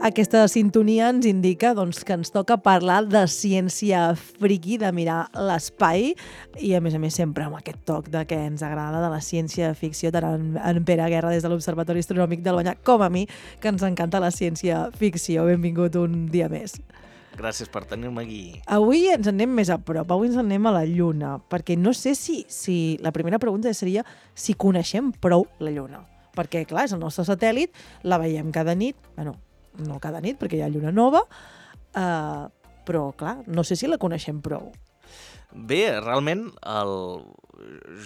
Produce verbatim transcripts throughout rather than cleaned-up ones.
Aquesta sintonia ens indica doncs, que ens toca parlar de ciència friqui, de mirar l'espai, i a més a més sempre amb aquest toc de que ens agrada de la ciència-ficció, tant en, en Pere Guerra des de l'Observatori Astronòmic d'Albanyà, com a mi, que ens encanta la ciència-ficció. Benvingut un dia més. Gràcies per tenir-me aquí. Avui ens en anem més a prop, avui ens en anem a la Lluna, perquè no sé si, si la primera pregunta seria si coneixem prou la Lluna. Perquè, clar, és el nostre satèl·lit, la veiem cada nit, bueno, no cada nit, perquè hi ha lluna nova, uh, però, clar, no sé si la coneixem prou. Bé, realment, el...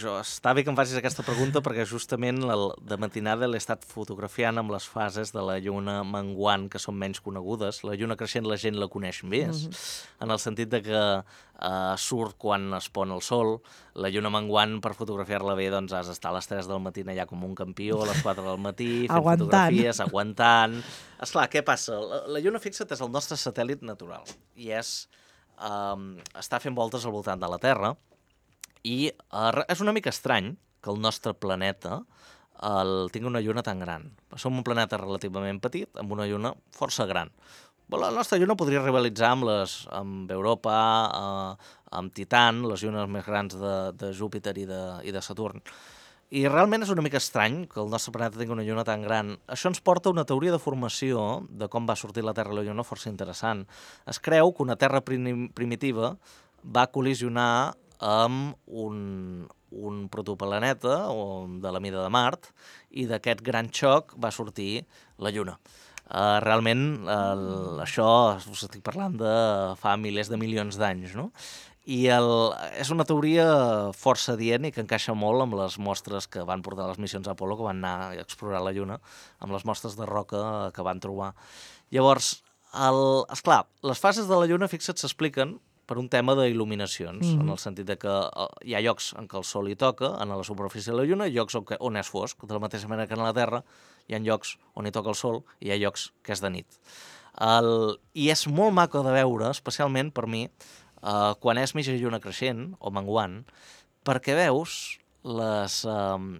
jo, està bé que em facis aquesta pregunta perquè justament el, de matinada l'he estat fotografiant amb les fases de la lluna menguant, que són menys conegudes. La lluna creixent la gent la coneix més, mm-hmm. en el sentit de que uh, surt quan es pon el sol. La lluna menguant, per fotografiar-la bé, doncs has d'estar a les tres del matí allà com un campió, a les quatre del matí, fent aguantant. fotografies, aguantant... Esclar, què passa? La, la lluna, fixa't, és el nostre satèl·lit natural i és... Um, està fent voltes al voltant de la Terra i uh, és una mica estrany que el nostre planeta el, tingui una lluna tan gran. Som un planeta relativament petit amb una lluna força gran. La nostra lluna podria rivalitzar amb, les, amb Europa, uh, amb Titan, les llunes més grans de, de Júpiter i de, i de Saturn. I realment és una mica estrany que el nostre planeta tingui una lluna tan gran. Això ens porta a una teoria de formació de com va sortir la Terra i la lluna força interessant. Es creu que una Terra prim primitiva va col·lisionar amb un, un protoplaneta de la mida de Mart i d'aquest gran xoc va sortir la lluna. Uh, realment, uh, això us estic parlant de fa milers de milions d'anys, no? I el, és una teoria força adient i que encaixa molt amb les mostres que van portar les missions Apolo, que van anar a explorar la Lluna, amb les mostres de roca que van trobar. Llavors, el, esclar, les fases de la Lluna, fixa't, s'expliquen per un tema d'il·luminacions, mm-hmm. en el sentit de que hi ha llocs en què el sol hi toca, en la superfície de la Lluna, i llocs on, on és fosc. De la mateixa manera que en la Terra hi ha llocs on hi toca el sol i hi ha llocs que és de nit. El, I és molt maco de veure, especialment per mi, Uh, quan és mitja lluna creixent o menguant, perquè veus les... Uh,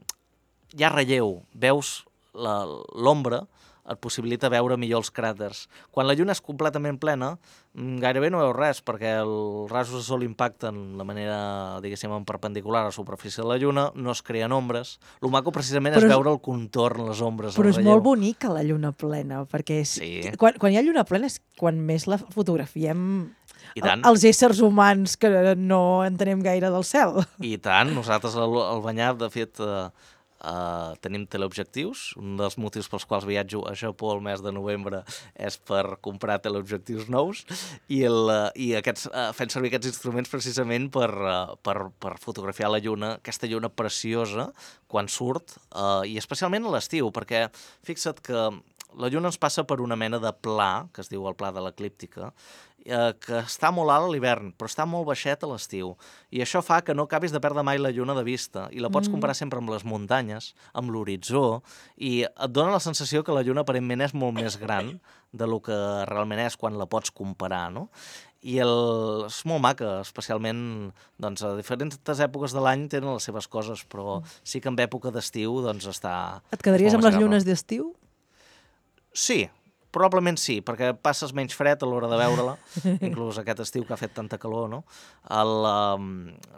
hi ha relleu, veus l'ombra, et possibilita veure millor els cràters. Quan la lluna és completament plena, gairebé no veus res, perquè els rajos de sol impacten de manera, diguéssim, en perpendicular a la superfície de la lluna, no es creen ombres. El maco precisament però és veure el contorn, les ombres, però el és molt bonica la lluna plena, perquè és, sí. quan, quan hi ha lluna plena és quan més la fotografiem I tant. Els éssers humans que no entenem gaire del cel. I tant, nosaltres al, al Banyar, de fet, uh, uh, tenim teleobjectius. Un dels motius pels quals viatjo a Japó el mes de novembre és per comprar teleobjectius nous i, el, uh, i aquests, uh, fent servir aquests instruments precisament per, uh, per, per fotografiar la lluna, aquesta lluna preciosa quan surt, uh, i especialment a l'estiu, perquè fixa't que la lluna ens passa per una mena de pla, que es diu el pla de l'eclíptica, eh, que està molt alt a l'hivern, però està molt baixet a l'estiu. I això fa que no acabis de perdre mai la lluna de vista. I la pots mm. comparar sempre amb les muntanyes, amb l'horitzó, i et dona la sensació que la lluna aparentment és molt més gran de lo que realment és quan la pots comparar, no? I el, és molt maca, especialment doncs, a diferents èpoques de l'any tenen les seves coses, però sí que en època d'estiu doncs, està... Et quedaries amb les llunes d'estiu? Sí, probablement sí, perquè passes menys fred a l'hora de veure-la, inclús aquest estiu que ha fet tanta calor, no? El, um,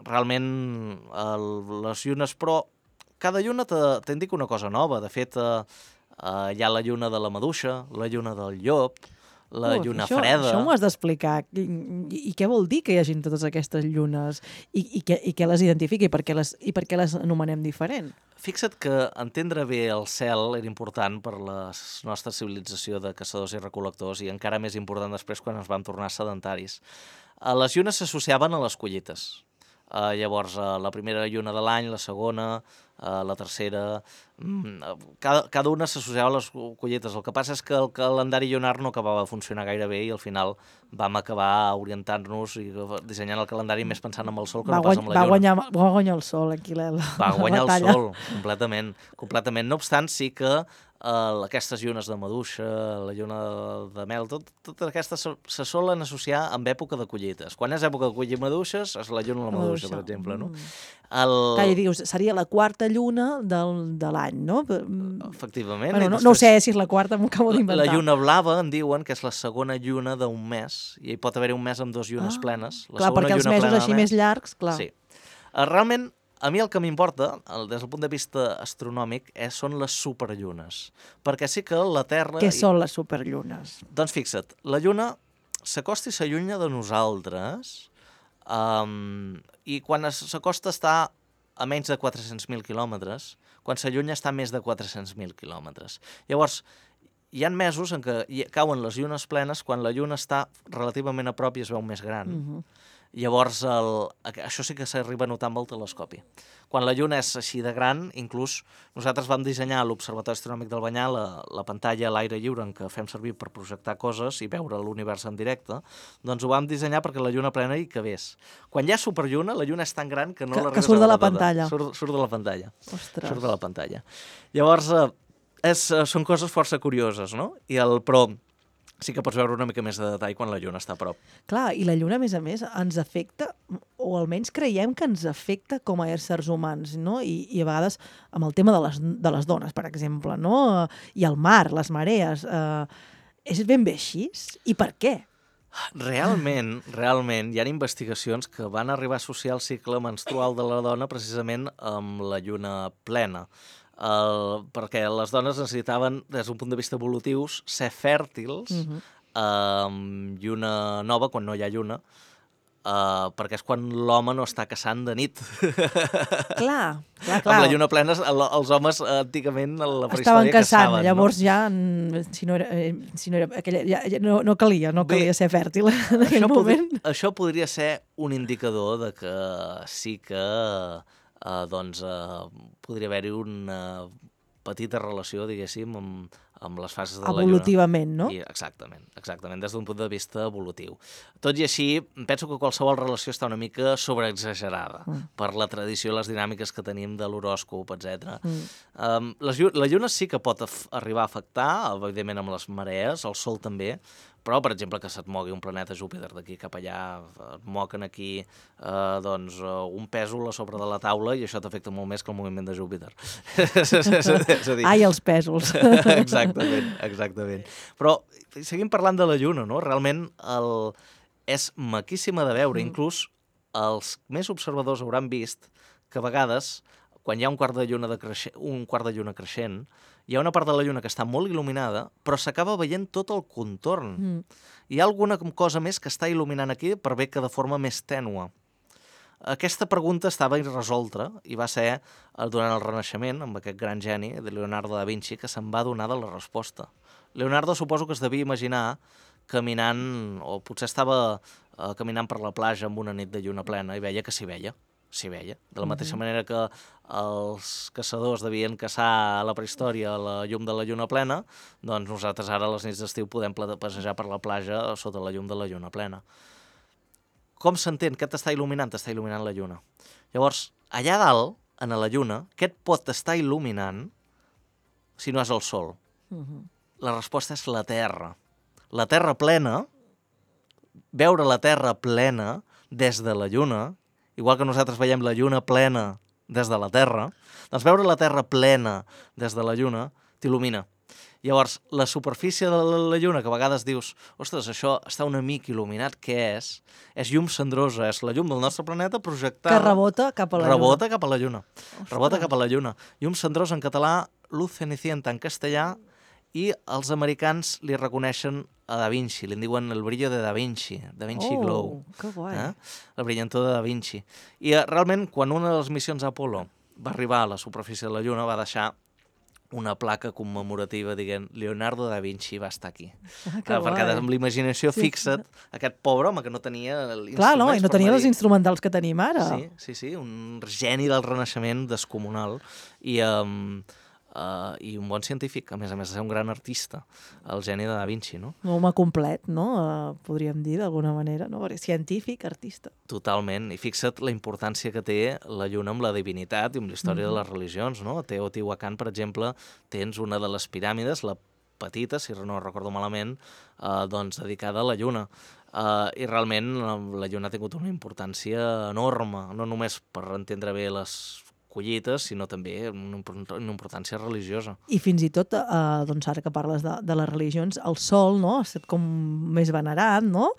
realment, el, les llunes, però cada lluna t'indica una cosa nova. De fet, uh, uh, hi ha la lluna de la maduixa, la lluna del llop, la Uf, lluna això, freda... Això m'ho has d'explicar. I, i, I què vol dir que hi hagin totes aquestes llunes? I, i, què, i què les identifica? I per què les, i per què les anomenem diferent? Fixa't que entendre bé el cel era important per la nostra civilització de caçadors i recol·lectors i encara més important després quan ens vam tornar sedentaris. Les llunes s'associaven a les collites. Uh, llavors, uh, la primera lluna de l'any, la segona, uh, la tercera... Mm, cada, cada una s'associava a les collites. El que passa és que el calendari llunar no acabava de funcionar gaire bé i al final vam acabar orientant-nos i dissenyant el calendari més pensant en el sol que va no pas en la lluna. Va guanyar, va guanyar el sol aquí, la, la Va guanyar batalla. el sol, completament, completament. No obstant, sí que Uh, aquestes llunes de maduixa, la lluna de mel, tot, totes aquestes se, se solen associar amb època de collites. Quan és època de collir maduixes, és la lluna de la maduixa, per exemple, no? Mm. El... Clar, dius, seria la quarta lluna del, de l'any, no? Efectivament. Bueno, no, després, no ho sé si és la quarta, m'ho acabo d'inventar. La lluna blava en diuen que és la segona lluna d'un mes, i hi pot haver un mes amb dues llunes ah, plenes. La clar, perquè els mesos així més llargs, clar. Sí. Uh, realment, a mi el que m'importa, des del punt de vista astronòmic, és, són les superllunes. Perquè sí que la Terra... Què són les superllunes? Doncs fixa't, la Lluna s'acosta i s'allunya de nosaltres, um, i quan s'acosta està a menys de quatre-cents mil quilòmetres, quan s'allunya està a més de quatre-cents mil quilòmetres. Llavors, hi ha mesos en què cauen les llunes plenes quan la Lluna està relativament a prop i es veu més gran. Mm-hmm. Llavors, el, això sí que s'arriba a notar amb el telescopi. Quan la Lluna és així de gran, inclús nosaltres vam dissenyar a l'Observatori Astronòmic del Banyà la, la pantalla a l'aire lliure en què fem servir per projectar coses i veure l'univers en directe, doncs ho vam dissenyar perquè la Lluna plena hi cabés. Quan hi ha superlluna, la Lluna és tan gran que no que, l'arribes que surt a de la veure pantalla. Tota. Surt, surt de la pantalla. Ostres. Surt de la pantalla. Llavors, eh, és, són coses força curioses, no? I el, però sí que pots veure una mica més de detall quan la Lluna està a prop. Clar, i la Lluna, a més a més, ens afecta, o almenys creiem que ens afecta com a éssers humans, no? I, i a vegades amb el tema de les, de les dones, per exemple, no? I el mar, les marees. Eh, és ben bé així? I per què? Realment, realment, hi ha investigacions que van arribar a associar el cicle menstrual de la dona precisament amb la lluna plena. El, perquè les dones necessitaven, des d'un punt de vista evolutius, ser fèrtils uh-huh. amb lluna nova, quan no hi ha lluna, uh, perquè és quan l'home no està caçant de nit. Clar, clar, clar. Amb la lluna plena, el, els homes antigament a la prehistòria estaven caçant, caçaven, llavors no? ja, si no era, si no era aquella, ja, ja no, no calia, no calia Bé, ser fèrtil en aquell això moment. Podria, això podria ser un indicador de que sí que Uh, doncs uh, podria haver-hi una petita relació, diguéssim, amb, amb les fases de la Lluna. Evolutivament, no? I, exactament, exactament, des d'un punt de vista evolutiu. Tot i així, penso que qualsevol relació està una mica sobreexagerada mm. per la tradició i les dinàmiques que tenim de l'horòscop, etcètera. Mm. Um, les, la Lluna sí que pot arribar a afectar, evidentment amb les marees, el Sol també, però, per exemple, que se't mogui un planeta Júpiter d'aquí cap allà, et moquen aquí eh, doncs, un pèsol a sobre de la taula i això t'afecta molt més que el moviment de Júpiter. és a dir... Ai, els pèsols. exactament, exactament. Però seguim parlant de la Lluna, no? Realment el... és maquíssima de veure. Mm. Inclús els més observadors hauran vist que a vegades, quan hi ha un quart de lluna, de creixent, un quart de lluna creixent, hi ha una part de la lluna que està molt il·luminada, però s'acaba veient tot el contorn. Mm. Hi ha alguna cosa més que està il·luminant aquí per bé que de forma més tènua. Aquesta pregunta estava irresolta i va ser durant el Renaixement, amb aquest gran geni de Leonardo da Vinci, que se'n va donar de la resposta. Leonardo suposo que es devia imaginar caminant, o potser estava eh, caminant per la platja amb una nit de lluna plena i veia que s'hi veia. s'hi veia. De la mateixa uh-huh. manera que els caçadors devien caçar a la prehistòria a la llum de la lluna plena, doncs nosaltres ara a les nits d'estiu podem passejar per la platja sota la llum de la lluna plena. Com s'entén? Què t'està il·luminant? T'està il·luminant la lluna. Llavors, allà dalt, en la lluna, què et pot estar il·luminant si no és el sol? Uh-huh. La resposta és la Terra. La Terra plena, veure la Terra plena des de la lluna, igual que nosaltres veiem la lluna plena des de la Terra, doncs veure la Terra plena des de la lluna t'il·lumina. Llavors, la superfície de la lluna, que a vegades dius, ostres, això està una mica il·luminat, què és? És llum cendrosa, és la llum del nostre planeta projectada... Que rebota cap a la rebota lluna. Cap a la lluna. Rebota cap a la lluna. Llum cendrosa en català, luz cenicienta en castellà, i els americans li reconeixen a Da Vinci, li en diuen el brillo de Da Vinci, Da Vinci oh, Glow. Que guai. Eh? El brillantor de Da Vinci. I eh, realment, quan una de les missions Apolo va arribar a la superfície de la Lluna, va deixar una placa commemorativa dient Leonardo da Vinci va estar aquí. Ah, eh, perquè amb l'imaginació sí. Fixa't, aquest pobre home que no tenia l'instruments. Clar, no, i no tenia els instrumentals que tenim ara. Sí, sí, sí, un geni del Renaixement descomunal. I... Um, uh, i un bon científic, a més a més de ser un gran artista, el geni de Da Vinci, no? Un home complet, no? Uh, podríem dir, d'alguna manera, no? Perquè científic, artista. Totalment, i fixa't la importància que té la lluna amb la divinitat i amb la història mm-hmm. de les religions, no? A Teotihuacan, per exemple, tens una de les piràmides, la petita, si no recordo malament, eh, doncs dedicada a la lluna. Uh, I realment la lluna ha tingut una importància enorme, no només per entendre bé les collites, sinó també una, una importància religiosa. I fins i tot, eh, doncs ara que parles de, de les religions, el sol, no?, ha estat com més venerat, no?,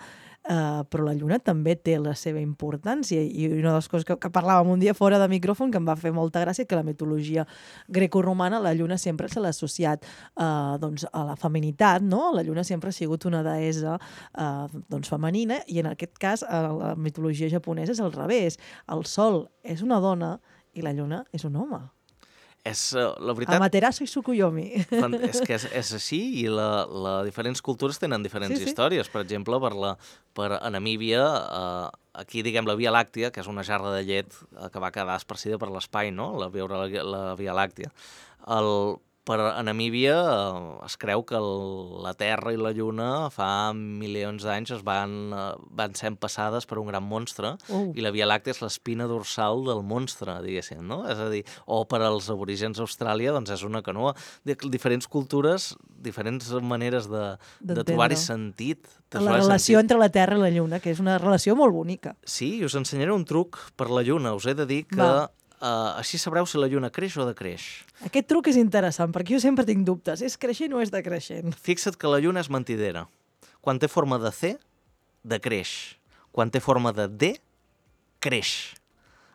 Uh, però la lluna també té la seva importància, i una de les coses que, que parlàvem un dia fora de micròfon que em va fer molta gràcia, que la mitologia grecoromana la lluna sempre se l'ha associat uh, doncs, a la feminitat, no? La lluna sempre ha sigut una deessa uh, doncs, femenina, i en aquest cas a la mitologia japonesa és al revés. El sol és una dona i la lluna és un home. És, uh, la veritat... Amaterasu i Tsukuyomi. És que és, és així, i la, la diferents cultures tenen diferents sí, sí. històries. Per exemple, per, la, per a Namíbia, eh, aquí, diguem, la Via Làctia, que és una jarra de llet que va quedar esparcida per l'espai, no?, la, veure la, la Via Làctia. El, per a Namíbia eh, es creu que el, la Terra i la Lluna fa milions d'anys es van, eh, van ser empassades per un gran monstre, uh. i la Via Làctia és l'espina dorsal del monstre, diguéssim, no? És a dir, o per als aborígens d'Austràlia, doncs és una canoa. De diferents cultures, diferents maneres de, de trobar-hi sentit. De la relació sentit. Entre la Terra i la Lluna, que és una relació molt bonica. Sí, i us ensenyaré un truc per la Lluna. Us he de dir que... Va. Uh, així sabreu si la lluna creix o decreix. Aquest truc és interessant, perquè jo sempre tinc dubtes. És creixent o és decreixent? Fixa't que la lluna és mentidera. Quan té forma de C, decreix. Quan té forma de D, creix.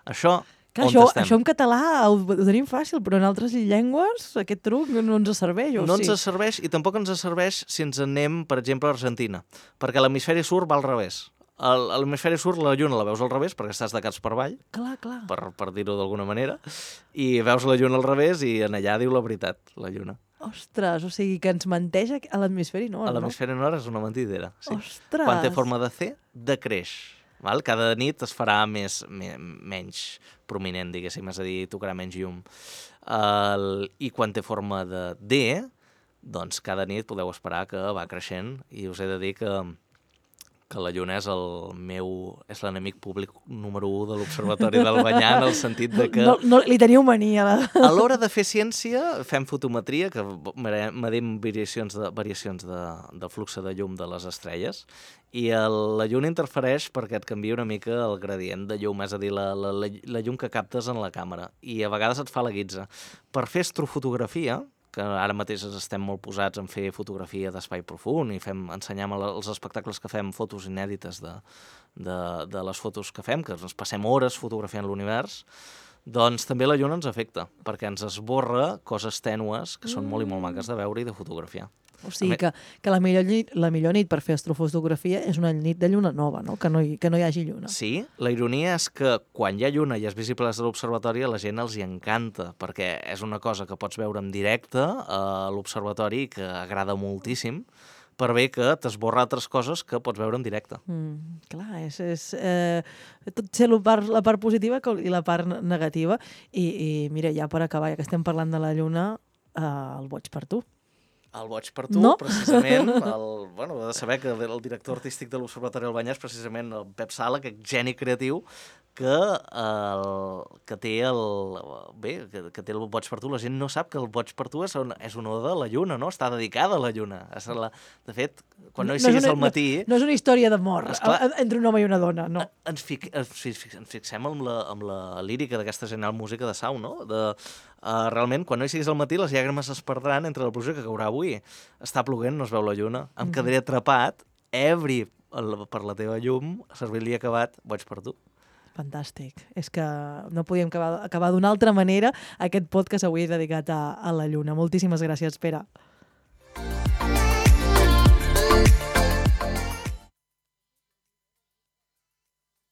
Això, Clar, on això, estem? això en català ho, ho tenim fàcil, però en altres llengües aquest truc no ens serveix. O no sí? ens serveix, i tampoc ens serveix si ens anem, per exemple, a Argentina, perquè l'hemisferi sud va al revés. A l'hemisferi sud la lluna la veus al revés perquè estàs de caps per avall, clar, clar. per, per dir-ho d'alguna manera, i veus la lluna al revés i en allà diu la veritat, la lluna. Ostres, o sigui que ens menteix a l'hemisferi nord, no? A l'hemisferi nord és una mentidera, sí. Ostres! Quan té forma de C, decreix. Val? Cada nit es farà més, me, menys prominent, diguéssim, és a dir, tocarà menys llum. El, I quan té forma de D, doncs cada nit podeu esperar que va creixent, i us he de dir que que la lluna és el meu... és l'enemic públic número u de l'Observatori d'Albanyà, en el sentit de que... No, no li teniu mania. La... A l'hora de fer ciència, fem fotometria, que medim variacions de, variacions de, de flux de llum de les estrelles, i el, la lluna interfereix perquè et canvia una mica el gradient de llum, és a dir, la, la, la, la llum que captes en la càmera, i a vegades et fa la guitza. Per fer astrofotografia, que ara mateix estem molt posats en fer fotografia d'espai profund i fem, ensenyem els espectacles que fem fotos inèdites de, de, de les fotos que fem, que ens passem hores fotografiant l'univers, doncs també la lluna ens afecta, perquè ens esborra coses tènues que són molt i molt maques de veure i de fotografiar. O sigui que, que la, millor nit, la millor nit per fer astrofotografia és una nit de lluna nova, no? Que no hi, que no hi hagi lluna. Sí, la ironia és que quan hi ha lluna i és visible des de l'observatori, a la gent els hi encanta, perquè és una cosa que pots veure en directe a l'observatori, que agrada moltíssim, per bé que t'esborra altres coses que pots veure en directe. Mm, clar, és, és eh, tot ser la part, la part positiva i la part negativa. I, i mira, ja per acabar, ja que estem parlant de la lluna, eh, el boig per tu. El boig per tu, no? precisament, el, bueno, he de saber que el director artístic de l'Observatori d'Albanyà és precisament el Pep Sala, aquest geni creatiu, que, el, que té el bé, que, que té el boig per tu. La gent no sap que el boig per tu és, un, és una oda de la lluna, no? Està dedicada a la lluna. És la, de fet, quan no hi siguis al matí... No, no és una història d'amor entre un home i una dona, no. Ens, fic, ens, ens fixem amb la, amb la lírica d'aquesta genial música de Sau, no? De, uh, realment, quan no hi siguis al matí, les llàgrimes es perdran entre la pluja que caurà avui. Està ploguent, no es veu la lluna. Em mm. quedaré atrapat, ebri per la teva llum, servir-li acabat, boig per tu. Fantàstic. És que no podíem acabar, acabar d'una altra manera aquest podcast avui dedicat a, a la lluna. Moltíssimes gràcies, Pere.